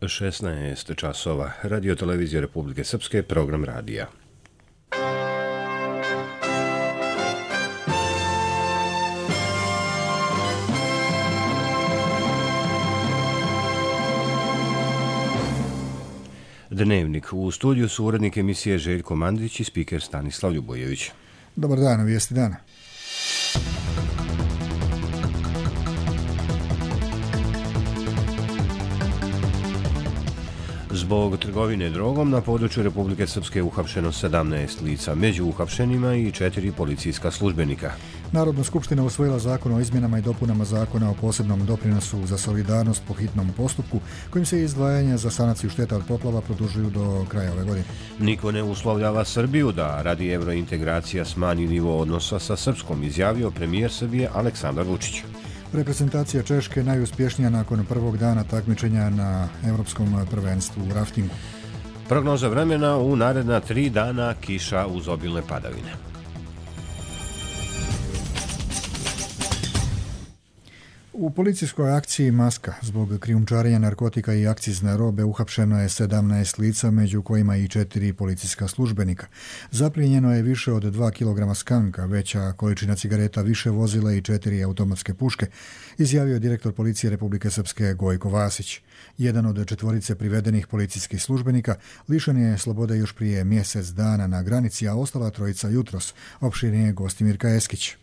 16 časova. Radio televizija Republike Srpske, program radija. Dnevnik. U studiju su urednik emisije Željko Mandić i spiker Stanislav Ljubojević. Dobar dan, vijesti dana. Zbog trgovine drogom na području Republike Srpske uhapšeno 17 lica, među uhapšenima i 4 policijska službenika. Narodna skupština usvojila zakon o izmjenama i dopunama zakona o posebnom doprinosu za solidarnost po hitnom postupku, kojim se izdvajanja za sanaciju šteta od poplava produžuju do kraja ove godine. Niko ne uslovljava Srbiju da radi evrointegracija smanji nivo odnosa sa Srpskom, izjavio premijer Srbije Aleksandar Vučić. Reprezentacija Češke najuspješnija nakon prvog dana takmičenja na Evropskom prvenstvu u raftingu. Prognoza vremena: u naredna 3 dana kiša uz obilne padavine. U policijskoj akciji Maska zbog krijumčarenja narkotika i akcizne robe uhapšeno je 17 lica, među kojima i 4 policijska službenika. Zaplijenjeno je više od 2 kg skanka, veća količina cigareta, više vozila i 4 automatske puške, izjavio je direktor policije Republike Srpske Gojko Vasić. Jedan od 4 privedenih policijskih službenika lišen je slobode još prije mjesec dana na granici, a ostala 3 jutros, opširnije Gostimirka Eskić.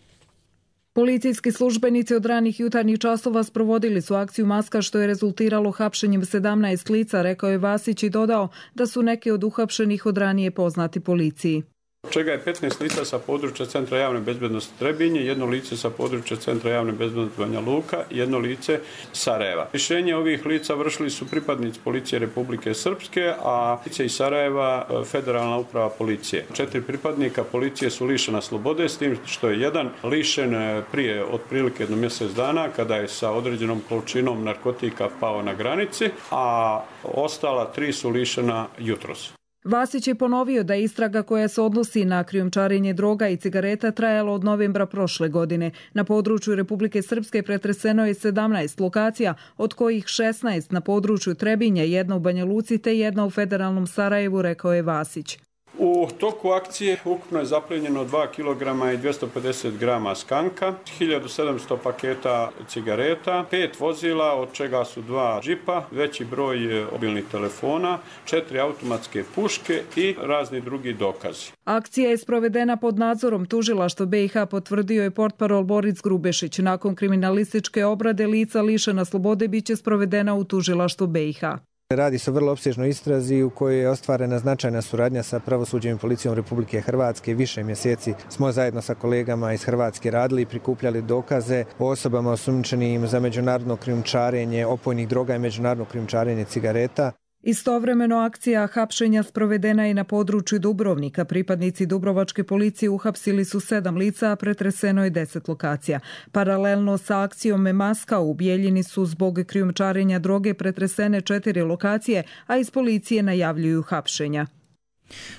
Policijski službenici od ranih jutarnjih časova sprovodili su akciju Maska, što je rezultiralo hapšenjem 17 lica, rekao je Vasić i dodao da su neki od uhapšenih od ranije poznati policiji. Čega je 15 lica sa područja Centra javne bezbednosti Trebinje, 1 lice sa područja Centra javne bezbednosti Banja Luka i 1 lice Sarajeva. Rješenje ovih lica vršili su pripadnici policije Republike Srpske, a lice iz Sarajeva Federalna uprava policije. 4 pripadnika policije su lišena slobode, s tim što je jedan lišen prije otprilike 1 mjesec dana, kada je sa određenom količinom narkotika pao na granici, a ostala 3 su lišena jutros. Vasić je ponovio da istraga koja se odnosi na krijumčarenje droga i cigareta trajala od novembra prošle godine. Na području Republike Srpske pretreseno je 17 lokacija, od kojih 16 na području Trebinja, 1 u Banja Luci te 1 u federalnom Sarajevu, rekao je Vasić. U toku akcije ukupno je zaplijenjeno 2 kg i 250 grama skanka, 1700 paketa cigareta, 5 vozila, od čega su 2 džipa, veći broj mobilnih telefona, 4 automatske puške i razni drugi dokazi. Akcija je sprovedena pod nadzorom tužilaštva BiH, potvrdio je portparol Boris Grubešić. Nakon kriminalističke obrade lica lišena slobode biće sprovedena u tužilaštvu BiH. Radi se o vrlo opsežnoj istrazi u kojoj je ostvarena značajna suradnja sa pravosuđem i policijom Republike Hrvatske. Više mjeseci smo zajedno sa kolegama iz Hrvatske radili i prikupljali dokaze o osobama osumnjičenim za međunarodno krijumčarenje opojnih droga i međunarodno krijumčarenje cigareta. Istovremeno akcija hapšenja sprovedena je na području Dubrovnika. Pripadnici dubrovačke policije uhapsili su 7 lica, a pretreseno je 10 lokacija. Paralelno sa akcijom Maska u Bijeljini su zbog krijumčarenja droge pretresene 4 lokacije, a iz policije najavljuju hapšenja.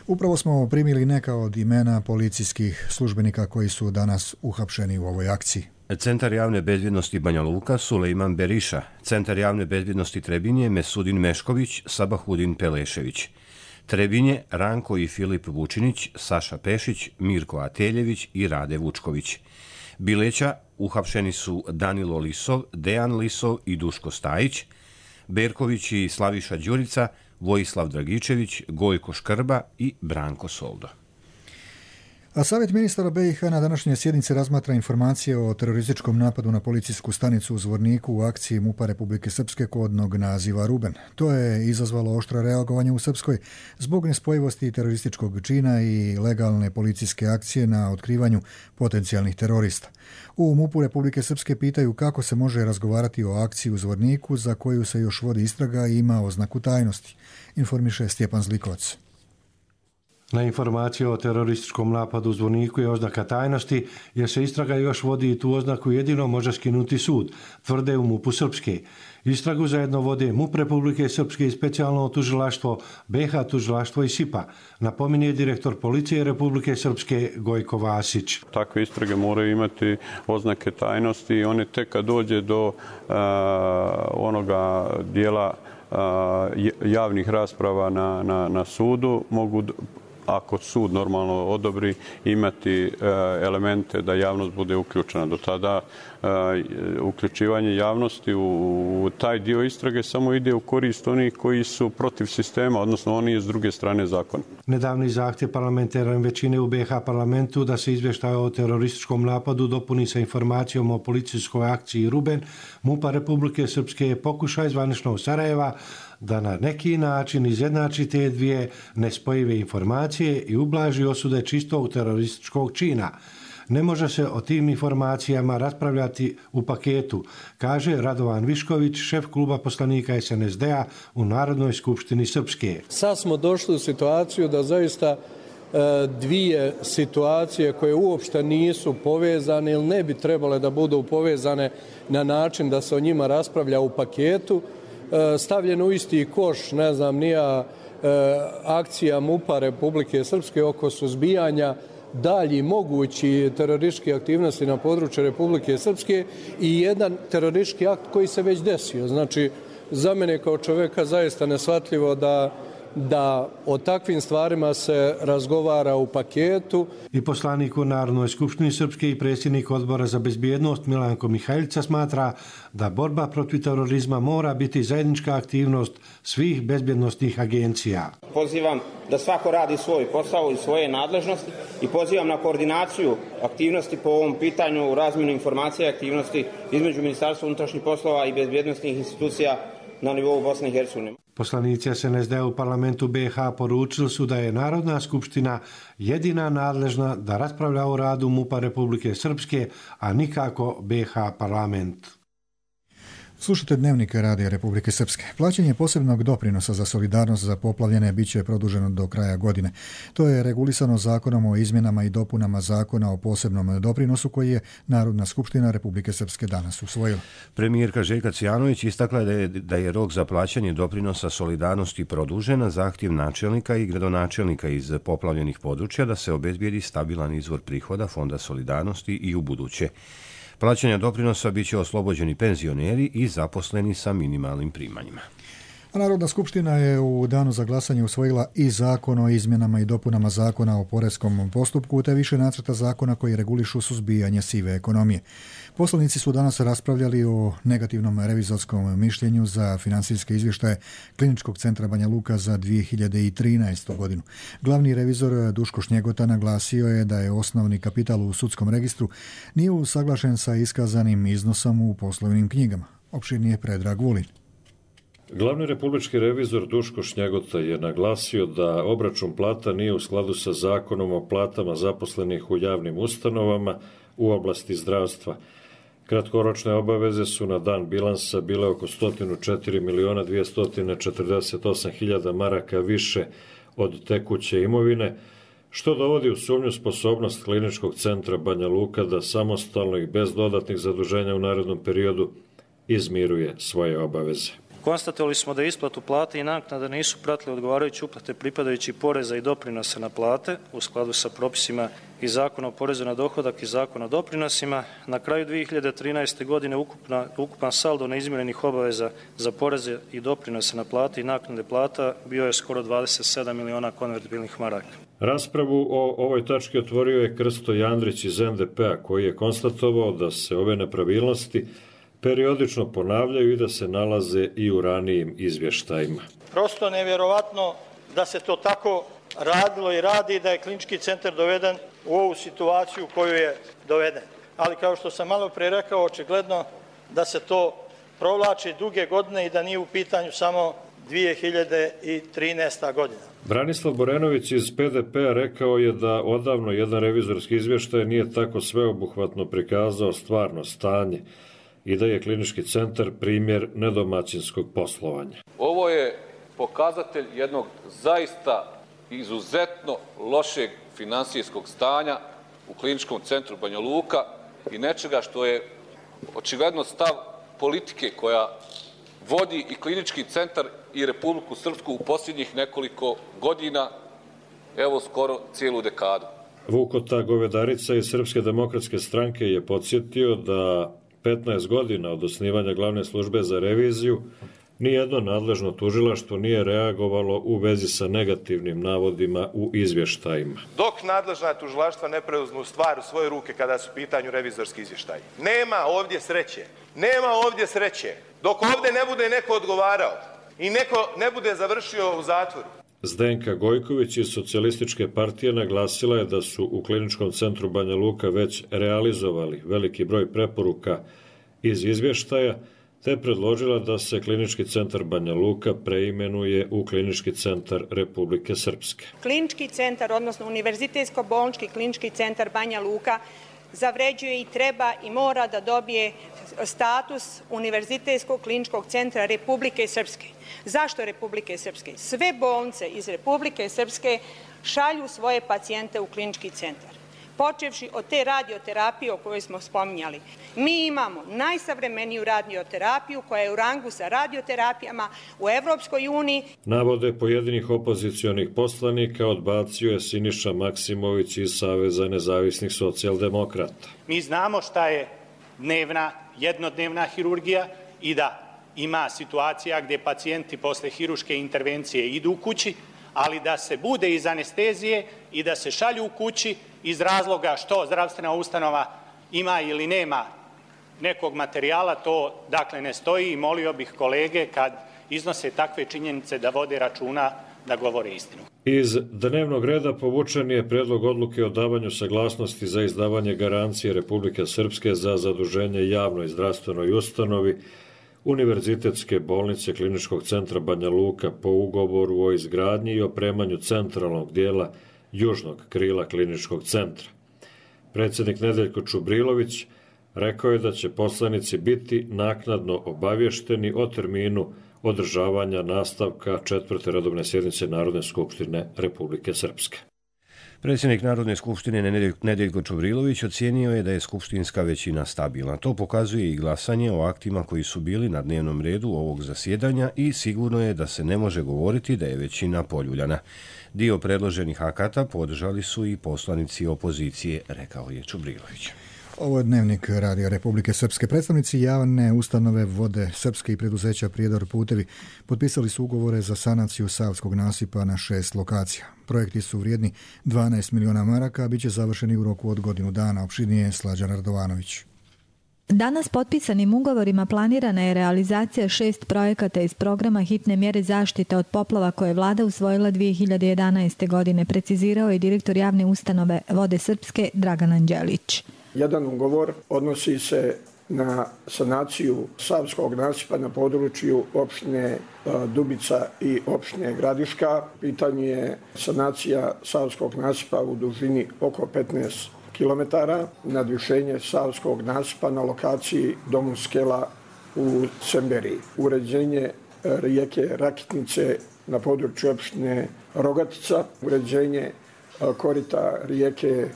Upravo smo primili neka od imena policijskih službenika koji su danas uhapšeni u ovoj akciji. Centar javne bezbjednosti Banja Luka Sulejman Beriša, Centar javne bezbjednosti Trebinje Mesudin Mešković, Sabahudin Pelešević, Trebinje Ranko i Filip Vučinić, Saša Pešić, Mirko Ateljević i Rade Vučković. Bileća uhapšeni su Danilo Lisov, Dejan Lisov i Duško Stajić, Berković i Slaviša Đurica, Vojislav Dragičević, Gojko Škrba i Branko Soldo. A Savjet ministara BiH na današnjoj sjednici razmatra informacije o terorističkom napadu na policijsku stanicu u Zvorniku u akciji MUP-a Republike Srpske kodnog naziva Ruben. To je izazvalo oštro reagovanje u Srpskoj zbog nespojivosti terorističkog čina i legalne policijske akcije na otkrivanju potencijalnih terorista. U MUP-u Republike Srpske pitaju kako se može razgovarati o akciji u Zvorniku za koju se još vodi istraga i ima oznaku tajnosti, informiše Stjepan Zlikovac. Na informaciju o terorističkom napadu u Zvorniku je oznaka tajnosti, jer se istraga još vodi i tu oznaku jedino može skinuti sud, tvrde u MUP-u Srpske. Istragu zajedno vode MUP Republike Srpske i specijalno tužilaštvo, BiH tužilaštvo i SIPA, napominje direktor policije Republike Srpske Gojko Vasić. Takve istrage moraju imati oznake tajnosti i one tek kad dođe do onoga dijela javnih rasprava na sudu mogu, ako sud normalno odobri, imati elemente da javnost bude uključena. Do tada uključivanje javnosti u taj dio istrage samo ide u korist onih koji su protiv sistema, odnosno oni s druge strane zakona. Nedavni zahtjev parlamentarne većine u BiH parlamentu da se izvještaj o terorističkom napadu dopuni sa informacijom o policijskoj akciji Ruben MUP-a Republike Srpske je pokušaj zvaničnog Sarajeva da na neki način izjednači te dvije nespojive informacije i ublaži osude čistog terorističkog čina. Ne može se o tim informacijama raspravljati u paketu, kaže Radovan Višković, šef kluba poslanika SNSD-a u Narodnoj skupštini Srpske. Sad smo došli u situaciju da zaista dvije situacije koje uopšte nisu povezane ili ne bi trebale da budu povezane na način da se o njima raspravlja u paketu, stavljeno u isti koš, ne znam, nija akcija MUP-a Republike Srpske oko suzbijanja dalji mogući terorističke aktivnosti na području Republike Srpske i jedan teroristički akt koji se već desio. Znači, za mene kao čovjeka zaista neshvatljivo da o takvim stvarima se razgovara u paketu. I poslanik u Narodnoj skupštini Srpske i predsjednik odbora za bezbjednost Milanko Mihajlica smatra da borba protiv terorizma mora biti zajednička aktivnost svih bezbjednostnih agencija. Pozivam da svako radi svoj posao i svoje nadležnosti i pozivam na koordinaciju aktivnosti po ovom pitanju, razmjenu informacija i aktivnosti između Ministarstva unutrašnjih poslova i bezbjednosnih institucija na nivou Bosne i Hercegovine. Poslanici SNSD u parlamentu BiH poručili su da je Narodna skupština jedina nadležna da raspravlja o radu MUP-a Republike Srpske, a nikako BiH parlament. Slušajte Dnevnik Radija Republike Srpske. Plaćanje posebnog doprinosa za solidarnost za poplavljene bit će produženo do kraja godine. To je regulisano Zakonom o izmjenama i dopunama Zakona o posebnom doprinosu koji je Narodna skupština Republike Srpske danas usvojila. Premijerka Željka Cvijanović istakla da je rok za plaćanje doprinosa solidarnosti produžen na zahtjev načelnika i gradonačelnika iz poplavljenih područja da se obezbijedi stabilan izvor prihoda Fonda solidarnosti i u buduće. Plaćanja doprinosa bit će oslobođeni penzioneri i zaposleni sa minimalnim primanjima. Narodna skupština je u danu za glasanje usvojila i Zakon o izmjenama i dopunama Zakona o poreskom postupku te više nacrta zakona koji regulišu suzbijanje sive ekonomije. Poslanici su danas raspravljali o negativnom revizorskom mišljenju za finansijske izvještaje Kliničkog centra Banja Luka za 2013. godinu. Glavni revizor Duško Šnjegota naglasio je da je osnovni kapital u sudskom registru nije usaglašen sa iskazanim iznosom u poslovnim knjigama. Opširnije Predrag Vulin. Glavni republički revizor Duško Šnjegota je naglasio da obračun plata nije u skladu sa Zakonom o platama zaposlenih u javnim ustanovama u oblasti zdravstva. Kratkoročne obaveze su na dan bilansa bile oko 104.248.000 maraka više od tekuće imovine, što dovodi u sumnju sposobnost Kliničkog centra Banja Luka da samostalno i bez dodatnih zaduženja u narednom periodu izmiruje svoje obaveze. Konstatovali smo da isplatu plate i naknada nisu pratili odgovarajuće uplate pripadajući poreza i doprinosa na plate u skladu sa propisima i Zakona o porezu na dohodak i Zakona o doprinosima. Na kraju 2013. godine ukupan saldo neizmirenih obaveza za poreze i doprinose na plate i naknade plata bio je skoro 27 miliona konvertibilnih maraka. Raspravu o ovoj tački otvorio je Krsto Jandrić iz NDP-a koji je konstatovao da se ove nepravilnosti periodično ponavljaju i da se nalaze i u ranijim izvještajima. Prosto nevjerovatno da se to tako radilo i radi, da je klinički centar doveden u ovu situaciju u koju je doveden. Ali kao što sam malo pre rekao, očigledno da se to provlači duge godine i da nije u pitanju samo 2013. godina. Branislav Borenović iz PDP-a rekao je da odavno jedan revizorski izvještaj nije tako sveobuhvatno prikazao stvarno stanje i da je klinički centar primjer nedomaćinskog poslovanja. Ovo je pokazatelj jednog zaista izuzetno lošeg finansijskog stanja u kliničkom centru Banja Luka i nečega što je očigledno stav politike koja vodi i klinički centar i Republiku Srpsku u posljednjih nekoliko godina, evo skoro cijelu dekadu. Vukota Govedarica iz Srpske demokratske stranke je podsjetio da 15 godina od osnivanja glavne službe za reviziju Nijedno nadležno tužilaštvo nije reagovalo u vezi sa negativnim navodima u izvještajima. Dok nadležna tužilaštva ne preuzmu stvar u svoje ruke kada su u pitanju revizorski izvještaji. Nema ovdje sreće. Nema ovdje sreće. Dok ovdje ne bude neko odgovarao i neko ne bude završio u zatvoru. Zdenka Gojković iz Socijalističke partije naglasila je da su u Kliničkom centru Banja Luka već realizovali veliki broj preporuka iz izvještaja, te predložila da se Klinički centar Banja Luka preimenuje u Klinički centar Republike Srpske. Klinički centar, odnosno Univerzitetsko-bolnički klinički centar Banja Luka zavređuje i treba i mora da dobije status Univerzitetskog kliničkog centra Republike Srpske. Zašto Republike Srpske? Sve bolnice iz Republike Srpske šalju svoje pacijente u klinički centar. Počevši od te radioterapije o kojoj smo spominjali. Mi imamo najsavremeniju radioterapiju koja je u rangu sa radioterapijama u Evropskoj uniji. Navode pojedinih opozicionih poslanika odbacio je Siniša Maksimović iz Saveza nezavisnih socijaldemokrata. Mi znamo šta je jednodnevna hirurgija i da ima situacija gdje pacijenti posle hiruške intervencije idu u kući, ali da se bude iz anestezije i da se šalju u kući iz razloga što zdravstvena ustanova ima ili nema nekog materijala, to dakle ne stoji i molio bih kolege kad iznose takve činjenice da vode računa da govore istinu. Iz dnevnog reda povučen je predlog odluke o davanju saglasnosti za izdavanje garancije Republike Srpske za zaduženje javnoj zdravstvenoj ustanovi Univerzitetske bolnice Kliničkog centra Banja Luka po ugovoru o izgradnji i opremanju centralnog dijela južnog krila kliničkog centra. Predsjednik Nedeljko Čubrilović rekao je da će poslanici biti naknadno obavješteni o terminu održavanja nastavka 4. redovne sjednice Narodne skupštine Republike Srpske. Predsjednik Narodne skupštine Nedeljko Čubrilović ocijenio je da je skupštinska većina stabilna. To pokazuje i glasanje o aktima koji su bili na dnevnom redu ovog zasjedanja i sigurno je da se ne može govoriti da je većina poljuljana. Dio predloženih akata podržali su i poslanici opozicije, rekao je Čubrilović. Ovo je Dnevnik Radio Republike Srpske. Predstavnici javne ustanove Vode Srpske i preduzeća Prijedor putevi potpisali su ugovore za sanaciju Savskog nasipa na 6 lokacija. Projekti su vrijedni 12 miliona maraka, a bit će završeni u roku od godinu dana. Opširnije Slađan Radovanović. Danas potpisanim ugovorima planirana je realizacija 6 projekata iz programa hitne mjere zaštite od poplava koje je vlada usvojila 2011. godine, precizirao je direktor javne ustanove Vode Srpske Dragan Anđelić. Jedan ugovor odnosi se na sanaciju Savskog nasipa na području opštine Dubica i opštine Gradiška. Pitanje je sanacija Savskog nasipa u dužini oko 15 km, nadvišenje Savskog nasipa na lokaciji Domu Skela u Semberiji, uređenje rijeke Rakitnice na području opštine Rogatica, uređenje korita rijeke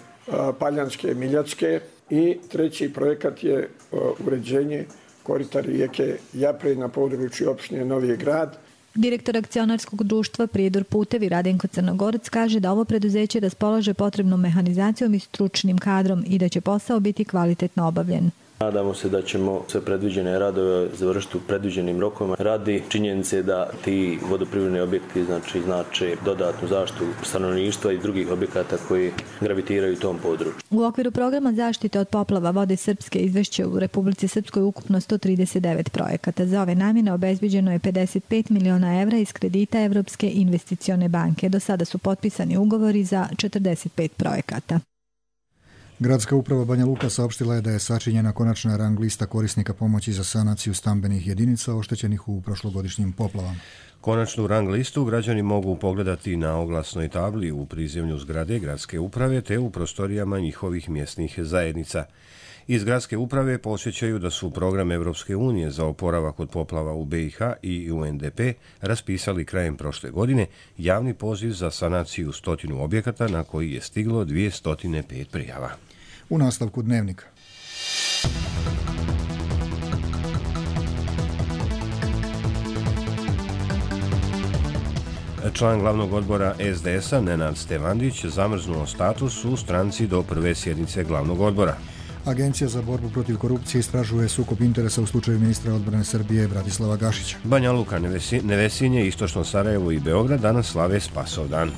Paljanske Miljacke i treći projekat je uređenje korita rijeke Japre na području opštine Novi Grad. Direktor akcionarskog društva Prijedor putevi Radenko Crnogorac kaže da ovo preduzeće raspolaže potrebnom mehanizacijom i stručnim kadrom i da će posao biti kvalitetno obavljen. Nadamo se da ćemo sve predviđene radove završiti u predviđenim rokovima. Radi činjenice da ti vodoprivredni objekti znače dodatnu zaštitu stanovništva i drugih objekata koji gravitiraju u tom području. U okviru programa zaštite od poplava Vode Srpske izvešće u Republici Srpskoj ukupno 139 projekata. Za ove namjene obezbeđeno je 55 miliona evra iz kredita Evropske investicione banke. Do sada su potpisani ugovori za 45 projekata. Gradska uprava Banja Luka saopštila je da je sačinjena konačna rang lista korisnika pomoći za sanaciju stambenih jedinica oštećenih u prošlogodišnjim poplavama. Konačnu rang listu građani mogu pogledati na oglasnoj tabli u prizemlju zgrade Gradske uprave te u prostorijama njihovih mjesnih zajednica. Iz Gradske uprave podsjećaju da su program Evropske unije za oporavak od poplava u BiH i UNDP raspisali krajem prošle godine javni poziv za sanaciju 100 objekata na koji je stiglo 205 prijava. U nastavku Dnevnika. Član glavnog odbora SDS-a Nenad Stevandić zamrznuo status u stranci do prve sjednice glavnog odbora. Agencija za borbu protiv korupcije istražuje sukob interesa u slučaju ministra odbrane Srbije Bratislava Gašića. Banja Luka, Nevesinje, Istočno Sarajevo i Beograd danas slave Spasovdan.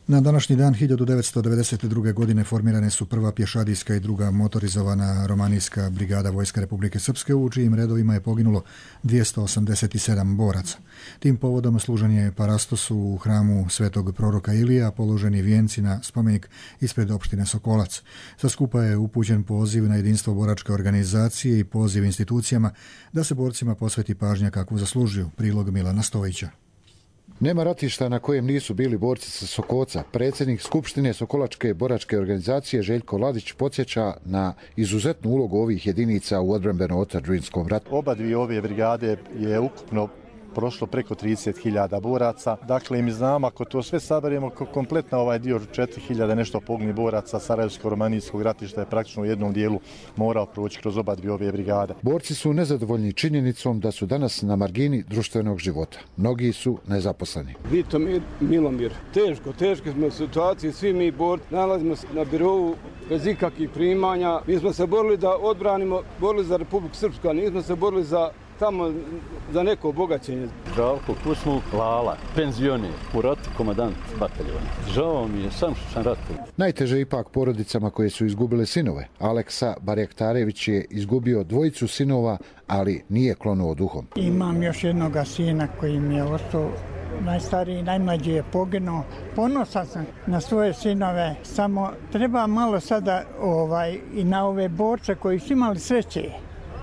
Na današnji dan 1992. godine formirane su prva pješadijska i druga motorizovana romanijska brigada Vojska Republike Srpske, u čijim redovima je poginulo 287 boraca. Tim povodom služen je parastos u hramu Svetog proroka Ilija, položeni vijenci na spomenik ispred opštine Sokolac. Sa skupa je upućen poziv na jedinstvo boračke organizacije i poziv institucijama da se borcima posveti pažnja kakvu zaslužuju. Prilog Milana Stojića. Nema ratišta na kojem nisu bili borci sa Sokoca. Predsjednik Skupštine Sokolačke boračke organizacije Željko Ladić podsjeća na izuzetnu ulogu ovih jedinica u odbrambeno-otadžbinskom ratu. Oba dvije ove brigade je ukupno prošlo preko 30.000 boraca. Dakle, mi znamo, ako to sve saberemo, kompletno ovaj dio 4.000 nešto pogni boraca Sarajevsko-romanijskog ratišta je praktično u jednom dijelu morao proći kroz oba dvije ove brigade. Borci su nezadovoljni činjenicom da su danas na margini društvenog života. Mnogi su nezaposleni. Vito Milomir, teške smo situacije, svi mi borci nalazimo se na birovu bez ikakvih primanja. Mi smo se borili da odbranimo, borili za Republiku Srpsku, a nismo se borili tamo za neko obogaćenje. Žalko Kusmuk Lala, penzioner, u ratu komandant bataljona. Žao mi je sam što sam ratu. Najteže ipak porodicama koje su izgubile sinove. Aleksa Barjaktarević je izgubio dvojicu sinova, ali nije klonuo duhom. Imam još jednog sina koji mi je ostao najstariji, najmlađi je poginuo. Ponosan sam na svoje sinove, samo treba malo sada i na ove borce koji su imali sreće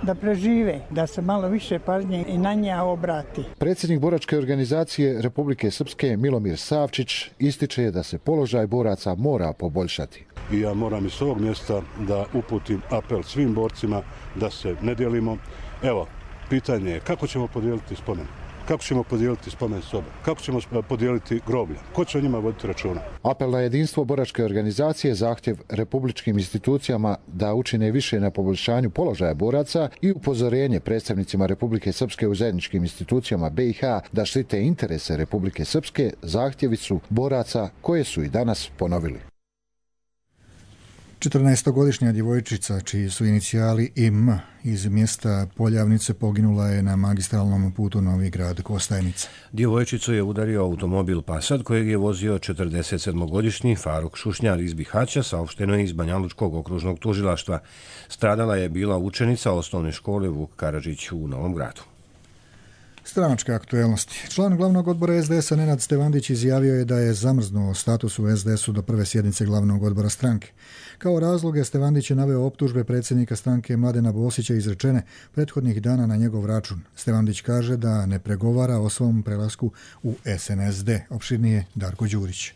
da prežive, da se malo više pažnje i na nje obrati. Predsjednik boračke organizacije Republike Srpske Milomir Savčić ističe da se položaj boraca mora poboljšati. I ja moram iz ovog mjesta da uputim apel svim borcima da se ne dijelimo. Evo, pitanje je kako ćemo podijeliti spomen? Kako ćemo podijeliti spomen sobe? Kako ćemo podijeliti groblja? Ko će o njima voditi računa? Apel na jedinstvo boračke organizacije, zahtjev republičkim institucijama da učine više na poboljšanju položaja boraca i upozorenje predstavnicima Republike Srpske u zajedničkim institucijama BiH da štite interese Republike Srpske zahtjevi su boraca koje su i danas ponovili. 14-godišnja djevojčica, čiji su inicijali IM iz mjesta Poljavnice, poginula je na magistralnom putu Novi Grad-Kostajnica. Djevojčicu je udario automobil Passat kojeg je vozio 47-godišnji Faruk Šušnjar iz Bihaća, saopšteno je iz Banjalučkog okružnog tužilaštva. Stradala je bila učenica osnovne škole Vuk Karadžić u Novom Gradu. Stranačke aktuelnosti. Član glavnog odbora SDS-a Nenad Stevandić izjavio je da je zamrznuo status u SDS-u do prve sjednice glavnog odbora stranke. Kao razloge Stevandić je naveo optužbe predsjednika stranke Mladena Bosića izrečene prethodnih dana na njegov račun. Stevandić kaže da ne pregovara o svom prelasku u SNSD. Opširnije Darko Đurić.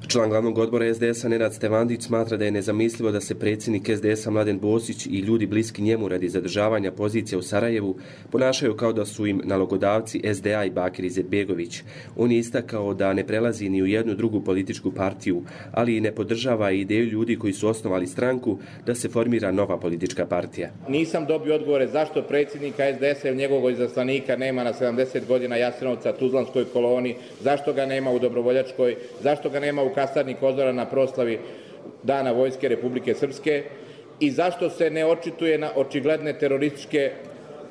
Član glavnog odbora SDS-a Nenad Stevandić smatra da je nezamislivo da se predsjednik SDS-a Mladen Bosić i ljudi bliski njemu radi zadržavanja pozicije u Sarajevu ponašaju kao da su im nalogodavci SDA i Bakir Izetbegović. On je istakao da ne prelazi ni u jednu drugu političku partiju, ali i ne podržava ideju ljudi koji su osnovali stranku da se formira nova politička partija. Nisam dobio odgovore zašto predsjednika SDS-a i njegovog izaslanika nema na 70 godina Jasenovca, Tuzlanskoj koloni, zašto ga nema u Dobrovoljačkoj, zašto ga nema u kasarni Kozora na proslavi Dana Vojske Republike Srpske i zašto se ne očituje na očigledne terorističke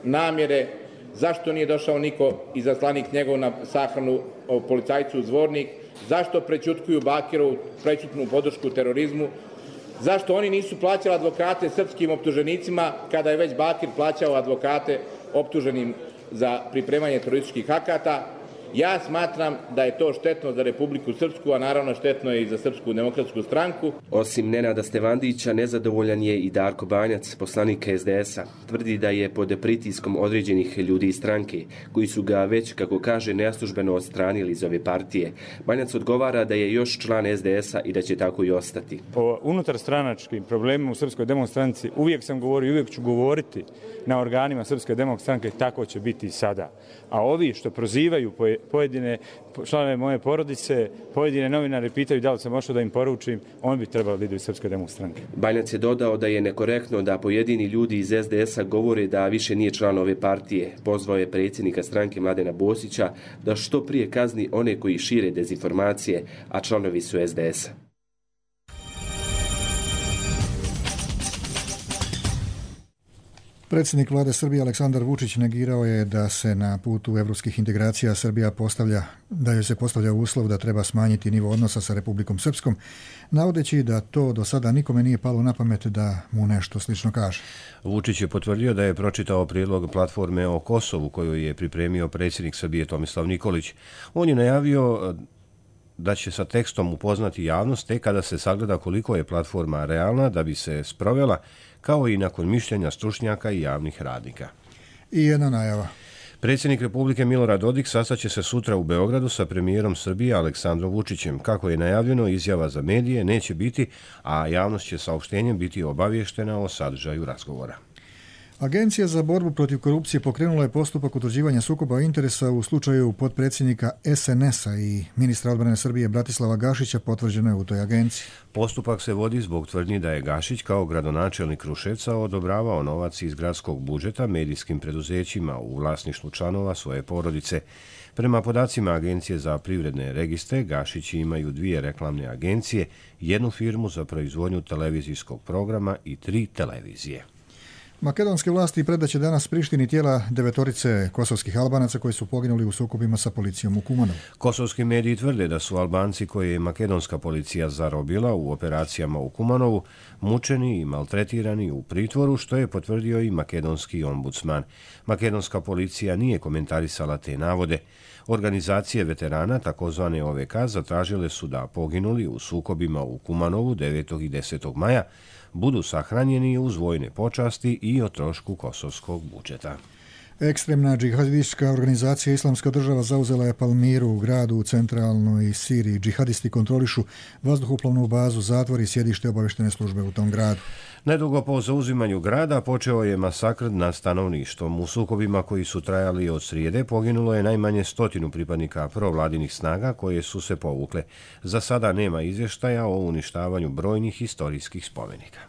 namjere, zašto nije došao niko izaslanik njegov na sahranu policajcu Zvornik, zašto prećutkuju Bakirovu prećutnu podršku terorizmu, zašto oni nisu plaćali advokate srpskim optuženicima kada je već Bakir plaćao advokate optuženim za pripremanje terorističkih akata. Ja smatram da je to štetno za Republiku Srpsku, a naravno štetno je i za Srpsku demokratsku stranku. Osim Nenada Stevandića, nezadovoljan je i Darko Banjac, poslanik SDS-a. Tvrdi da je pod pritiskom određenih ljudi iz stranke, koji su ga već, kako kaže, neslužbeno odstranili iz ove partije. Banjac odgovara da je još član SDS-a i da će tako i ostati. O unutarstranačkim problemima u Srpskoj demokratskoj stranci uvijek sam govorio i uvijek ću govoriti na organima Srpske demokratske stranke, tako će biti i sada. A ovi što prozivaju pojedine članove moje porodice, pojedine novinare pitaju da li sam možda da im poručim, on bi trebalo da idu iz Srpske demokratske stranke. Banjac je dodao da je nekorektno da pojedini ljudi iz SDS-a govore da više nije član ove partije. Pozvao je predsjednika stranke Mladena Bosića da što prije kazni one koji šire dezinformacije, a članovi su SDS-a. Predsjednik vlade Srbije Aleksandar Vučić negirao je da se na putu evropskih integracija Srbija da joj se postavlja uslov da treba smanjiti nivo odnosa sa Republikom Srpskom, navodeći da to do sada nikome nije palo na pamet da mu nešto slično kaže. Vučić je potvrdio da je pročitao prijedlog platforme o Kosovu koju je pripremio predsjednik Srbije Tomislav Nikolić. On je najavio da će sa tekstom upoznati javnost tek kada se sagleda koliko je platforma realna da bi se sprovela, kao i nakon mišljenja stručnjaka i javnih radnika. I jedna najava. Predsjednik Republike Milorad Dodik sastaće se sutra u Beogradu sa premijerom Srbije Aleksandrom Vučićem. Kako je najavljeno, izjava za medije neće biti, a javnost će saopštenjem biti obavještena o sadržaju razgovora. Agencija za borbu protiv korupcije pokrenula je postupak utvrđivanja sukoba interesa u slučaju potpredsjednika SNS-a i ministra odbrane Srbije Bratislava Gašića, potvrđeno je u toj agenciji. Postupak se vodi zbog tvrdnji da je Gašić kao gradonačelnik Kruševca odobravao novac iz gradskog budžeta medijskim preduzećima u vlasništvu članova svoje porodice. Prema podacima Agencije za privredne registre, Gašići imaju 2 reklamne agencije, 1 firmu za proizvodnju televizijskog programa i 3 televizije. Makedonske vlasti predaće danas Prištini tijela 9 kosovskih Albanaca koji su poginuli u sukobima sa policijom u Kumanovu. Kosovski mediji tvrde da su Albanci koje je makedonska policija zarobila u operacijama u Kumanovu mučeni i maltretirani u pritvoru, što je potvrdio i makedonski ombudsman. Makedonska policija nije komentarisala te navode. Organizacije veterana, takozvane OVK, zatražile su da poginuli u sukobima u Kumanovu 9. i 10. maja budu sahranjeni uz vojne počasti i o trošku kosovskog budžeta. Ekstremna džihadistička organizacija Islamska država zauzela je Palmiru u gradu u centralnoj Siriji. Džihadisti kontrolišu vazduhoplovnu bazu, zatvor i sjedište obavještene službe u tom gradu. Nedugo po zauzimanju grada počeo je masakr nad stanovništvom. U sukobima koji su trajali od srijede poginulo je najmanje 100 pripadnika provladinih snaga koje su se povukle. Za sada nema izvještaja o uništavanju brojnih historijskih spomenika.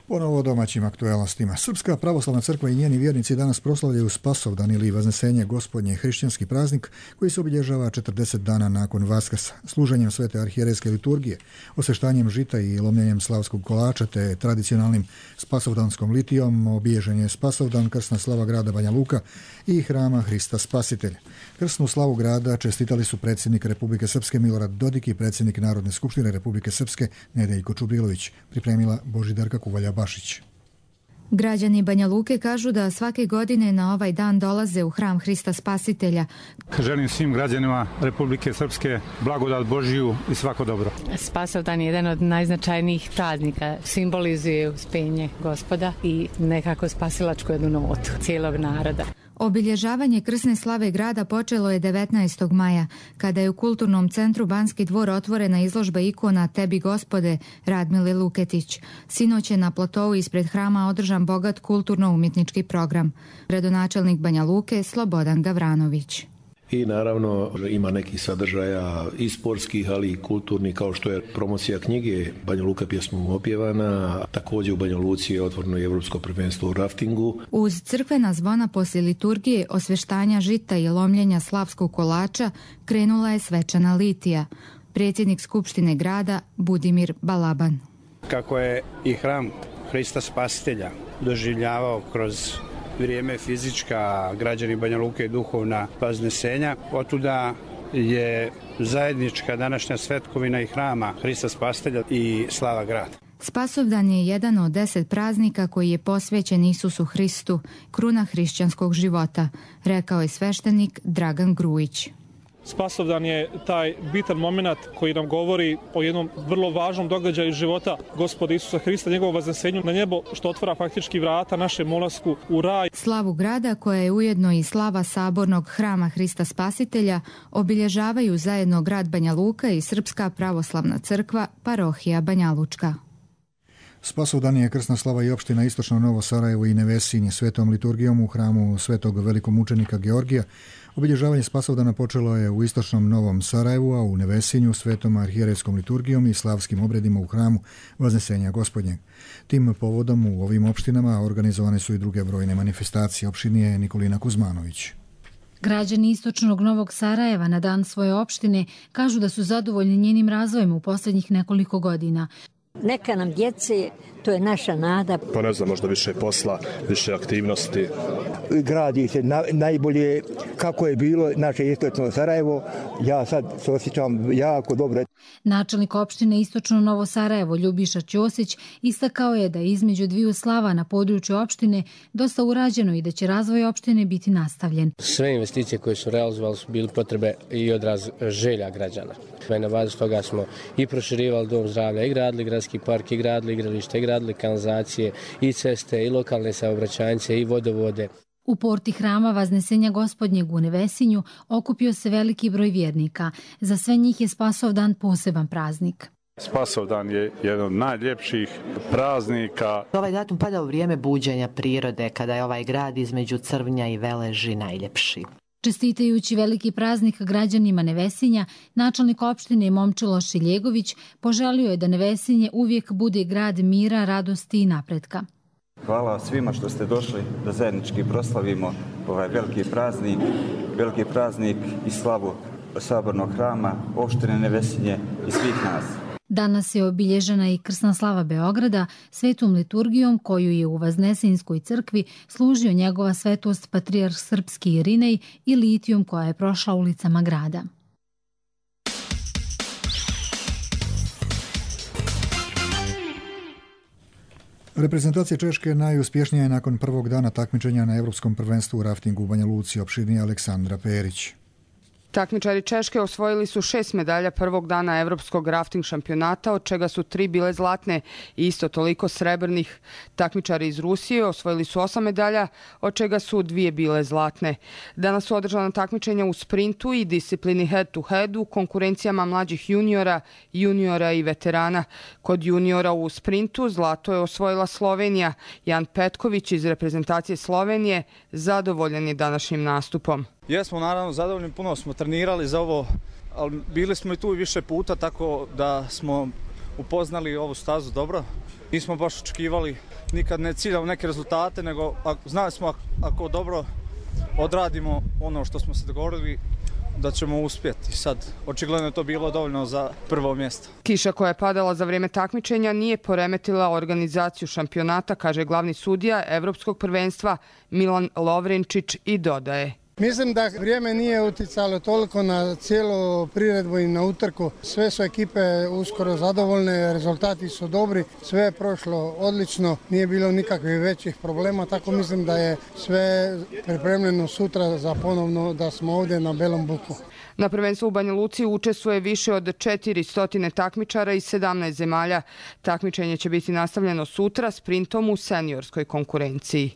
Ponovo o domaćim aktualnostima. Srpska pravoslavna crkva i njeni vjernici danas proslavljaju Spasovdan ili Vaznesenje Gospodnje, hrišćanski praznik koji se obilježava 40 dana nakon Vaskrsa, služenjem svete arhijerejske liturgije, osveštanjem žita i lomljenjem slavskog kolača te tradicionalnim spasovdanskom litijom. Obilježen je Spasovdan, krsna slava grada Banja Luka i hrama Hrista Spasitelja. Krsnu slavu grada čestitali su predsjednik Republike Srpske Milorad Dodik i predsjednik Narodne skupštine Republike Srpske Nedeljko Čubrilović, pripremila Božidarka Kuvalja-Bašić. Građani Banja Luke kažu da svake godine na ovaj dan dolaze u hram Hrista Spasitelja. Želim svim građanima Republike Srpske blagodat Božiju i svako dobro. Spasovdan je jedan od najznačajnijih praznika. Simbolizuje uspenje Gospoda i nekako spasilačku jednu notu cijelog naroda. Obilježavanje krsne slave grada počelo je 19. maja, kada je u kulturnom centru Banski dvor otvorena izložba ikona Tebi Gospode Radmile Luketić. Sinoć je na platovu ispred hrama održan bogat kulturno-umjetnički program. Gradonačelnik Banja Luke Slobodan Gavranović. I naravno ima nekih sadržaja i sportskih, ali i kulturnih, kao što je promocija knjige Banja Luka pjesmom opjevana. Također u Banja Luci je otvoreno i Evropsko prvenstvo u raftingu. Uz crkvena zvona poslije liturgije, osveštanja žita i lomljenja slavskog kolača krenula je svečana litija. Predsjednik Skupštine grada Budimir Balaban. Kako je i hram Hrista Spasitelja doživljavao kroz vrijeme fizička, građani Banja Luke i duhovna vaznesenja, otuda je zajednička današnja svetkovina i hrama Hrista Spasitelja i slava grada. Spasovdan je jedan od 10 praznika koji je posvećen Isusu Hristu, kruna hrišćanskog života, rekao je sveštenik Dragan Grujić. Spasovdan je taj bitan moment koji nam govori o jednom vrlo važnom događaju života Gospoda Isusa Hrista, njegovom vaznesenju na nebo, što otvara faktički vrata našem ulasku u raj. Slavu grada, koja je ujedno i slava sabornog hrama Hrista Spasitelja, obilježavaju zajedno grad Banja Luka i Srpska pravoslavna crkva, parohija Banja Lučka. Spasovdan je krsna slava i opština Istočno Novo Sarajevo i Nevesinje svetom liturgijom u hramu svetog velikomučenika Georgija. Obilježavanje Spasovdana počelo je u Istočnom Novom Sarajevu, a u Nevesinju svetom arhijerejskom liturgijom i slavskim obredima u hramu Vaznesenja Gospodnjeg. Tim povodom u ovim opštinama organizovane su i druge brojne manifestacije. Opštinije Nikolina Kuzmanović. Građani Istočnog Novog Sarajeva na dan svoje opštine kažu da su zadovoljni njenim razvojem u posljednjih nekoliko godina. Neka nam djece, to je naša nada. Pa ne znam, možda više posla, više aktivnosti. Gradi se najbolje kako je bilo naše istočno Sarajevo. Ja sad se osjećam jako dobro. Načelnik opštine Istočno Novo Sarajevo Ljubiša Ćosić istakao je da je između dviju slava na području opštine dosta urađeno i da će razvoj opštine biti nastavljen. Sve investicije koje su realizovali su bili potrebe i odraz želja građana. Na bazi toga smo i proširivali dom zdravlja, i gradili gradski park, i gradili igralište, i gradili kanalizacije, i ceste, i lokalne saobraćajnice, i vodovode. U porti hrama Vaznesenja Gospodnjeg u Nevesinju okupio se veliki broj vjernika. Za sve njih je Spasovdan poseban praznik. Spasovdan je jedan od najljepših praznika. Ovaj datum pada u vrijeme buđenja prirode, kada je ovaj grad između Crvnja i Veleži najljepši. Čestitajući veliki praznik građanima Nevesinja, načelnik opštine Momčilo Šiljegović poželio je da Nevesinje uvijek bude grad mira, radosti i napretka. Hvala svima što ste došli da zajednički proslavimo ovaj veliki praznik i slavu Sabornog hrama, opštine Nevesinje i svih nas. Danas je obilježena i krsna slava Beograda svetom liturgijom koju je u Vaznesenjskoj crkvi služio njegova svetost patrijarh srpski Irinej i litijum koja je prošla ulicama grada. Reprezentacija Češke je najuspješnija nakon prvog dana takmičenja na Evropskom prvenstvu u raftingu u Banja Luci, opširnije Aleksandra Perić. Takmičari Češke osvojili su 6 medalja prvog dana Evropskog rafting šampionata, od čega su 3 bile zlatne i isto toliko srebrnih. Takmičari iz Rusije osvojili su 8 medalja, od čega su 2 bile zlatne. Danas su održana takmičenja u sprintu i disciplini head to head u konkurencijama mlađih juniora i veterana. Kod juniora u sprintu zlato je osvojila Slovenija. Jan Petković iz reprezentacije Slovenije zadovoljan je današnjim nastupom. Jesmo naravno zadovoljni, puno smo trenirali za ovo, ali bili smo i tu više puta, tako da smo upoznali ovu stazu dobro. Nismo baš očekivali, nikad ne ciljali neke rezultate, nego znali smo ako dobro odradimo ono što smo se dogovorili da ćemo uspjeti. Sad, očigledno je to bilo dovoljno za prvo mjesto. Kiša koja je padala za vrijeme takmičenja nije poremetila organizaciju šampionata, kaže glavni sudija Evropskog prvenstva Milan Lovrenčić i dodaje. Mislim da vrijeme nije uticalo toliko na cijelu priredbu i na utrku. Sve su ekipe uskoro zadovoljne, rezultati su dobri, sve je prošlo odlično, nije bilo nikakvih većih problema, tako mislim da je sve pripremljeno sutra za ponovno da smo ovdje na Belom Buku. Na prvenstvu u Banja Luci učestvuje više od 400 takmičara iz 17 zemalja. Takmičenje će biti nastavljeno sutra sprintom u seniorskoj konkurenciji.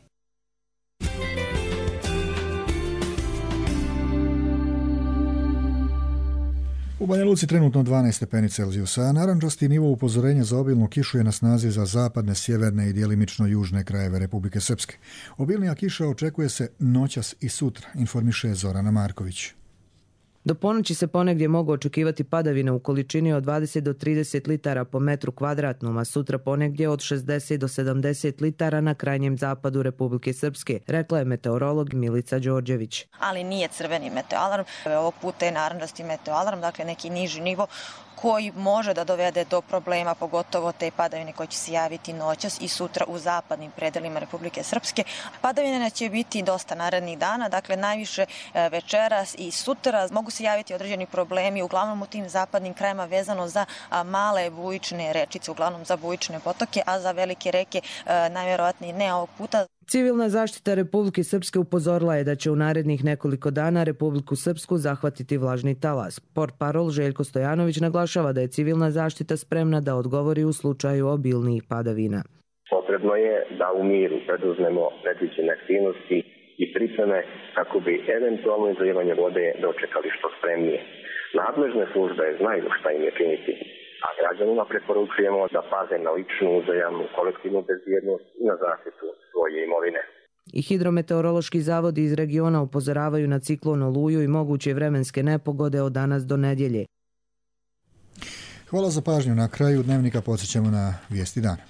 U Banja Luci trenutno 12 stepeni Celzijusa, a narančasti nivo upozorenja za obilnu kišu je na snazi za zapadne, sjeverne i djelimično južne krajeve Republike Srpske. Obilnija kiša očekuje se noćas i sutra, informiše Zorana Marković. Do ponoći se ponegdje mogu očekivati padavine u količini od 20 do 30 litara po metru kvadratnom, a sutra ponegdje od 60 do 70 litara na krajnjem zapadu Republike Srpske, rekla je meteorolog Milica Đorđević. Ali nije crveni meteoalarm, ovog puta je narančasti meteoalarm, dakle neki niži nivo koji može da dovede do problema, pogotovo te padavine koje će se javiti noćas i sutra u zapadnim predelima Republike Srpske. Padavine će biti dosta narednih dana, dakle najviše večeras i sutra mogu se javiti određeni problemi, uglavnom u tim zapadnim krajima vezano za male bujične rečice, uglavnom za bujične potoke, a za velike reke najvjerovatnije ne ovog puta. Civilna zaštita Republike Srpske upozorila je da će u narednih nekoliko dana Republiku Srpsku zahvatiti vlažni talas. Portparol Željko Stojanović naglašava da je civilna zaštita spremna da odgovori u slučaju obilnijih padavina. Potrebno je da u miru preduzmemo predviđene aktivnosti i pripreme kako bi eventualno izlijevanje vode dočekali što spremnije. Nadležne službe znaju šta im je činiti, a građanima preporučujemo da paze na ličnu, uzajamnu, kolektivnu bezbjednost i na zaštitu svoje imovine. I hidrometeorološki zavodi iz regiona upozoravaju na ciklon Oluju i moguće vremenske nepogode od danas do nedjelje. Hvala za pažnju. Na kraju dnevnika podsjećamo na vijesti dana.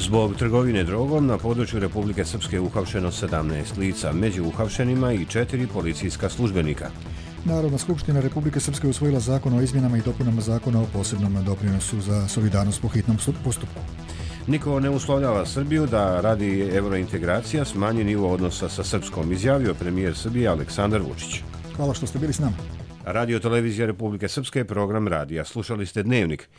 Zbog trgovine drogom na području Republike Srpske uhapšeno 17 lica, među uhapšenima i 4 policijska službenika. Narodna skupština Republike Srpske usvojila zakon o izmjenama i dopunama zakona o posebnom doprinosu za solidarnost po hitnom postupku. Niko ne uslovljava Srbiju da radi eurointegracija smanji nivo odnosa sa Srpskom, izjavio premijer Srbije Aleksandar Vučić. Hvala što ste bili s nama. Radio Televizija Republike Srpske, program radija. Slušali ste Dnevnik.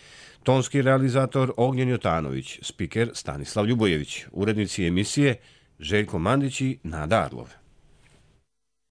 Tonski realizator Ognjen Jotanović, spiker Stanislav Ljubojević, urednici emisije Željko Mandić i Nada Arlov.